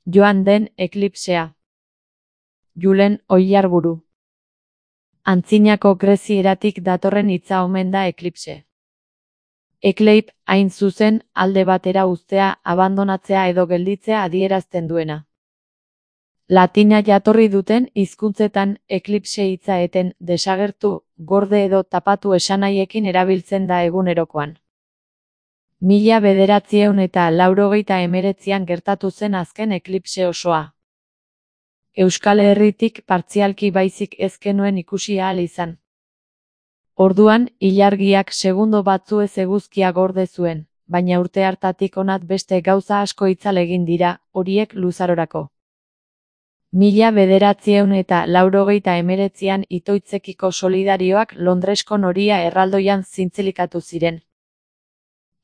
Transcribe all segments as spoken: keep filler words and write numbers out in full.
Joan den eklipsea. Julen Oillarburu. Antzinako grezieratik datorren hitza omen da eklipse. Ekleip, hain zuzen, alde batera uztea, abandonatzea edo gelditzea adierazten duena. Latina jatorri duten hizkuntzetan eklipse hitza eten, desagertu, gorde edo tapatu esanahiekin erabiltzen da egunerokoan. Mila bederatziehun eta laurogeita hemeretzian gertatu zen azken eklipse osoa. Euskal Herritik partzialki baizik ez genuen ikusi ahal izan. Orduan, ilargiak segundo batzuez eguzkia gorde zuen, baina urte hartatik honat beste gauza asko itzal egin dira, horiek luzarorako. Mila bederatziehun eta laurogeita hemeretzian itoitzekiko solidarioak Londresko Noria erraldoian zintzilikatu ziren.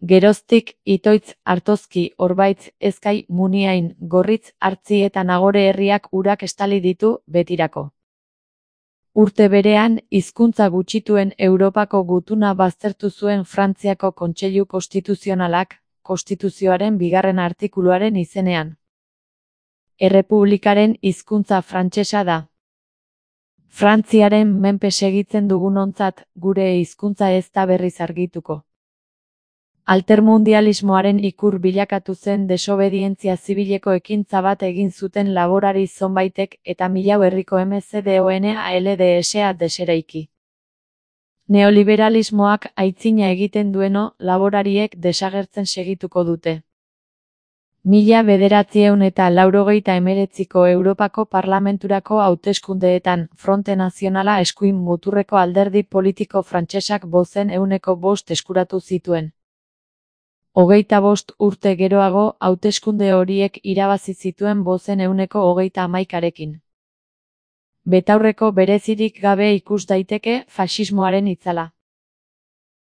Geroztik, Itoitz, Artozki, Orbaitz, Ezkai, Muniain, Gorritz, Artzi eta Nagore herriak urak estali ditu, betirako. Urte berean, hizkuntza gutxituen Europako gutuna baztertu zuen Frantziako Kontseilu Konstituzionalak, Konstituzioaren bigarren artikuluaren izenean. Errepublikaren hizkuntza frantsesa da. Frantziaren menpe segitzen dugunontzat, gure hizkuntza ez da berriz argituko. Altermundialismoaren ikur bilakatu zen desobedientzia zibileko ekintza bat egin zuten laborari zonbaitek eta milau herriko M C D O N A L D S A deseraiki. Neoliberalismoak aitzina egiten dueno, laborariek desagertzen segituko dute. Mila bederatziehun eta laurogeita hemeretziko Europako Parlamenturako hauteskundeetan Fronte Nazionala eskuin muturreko alderdi politiko frantsesak bozen ehuneko bost eskuratu zituen. Hogeita bost urte geroago, hauteskunde horiek irabazi zituen bozen ehuneko hogeita hamaikarekin. Betaurreko berezirik gabe ikus daiteke faxismoaren itzala.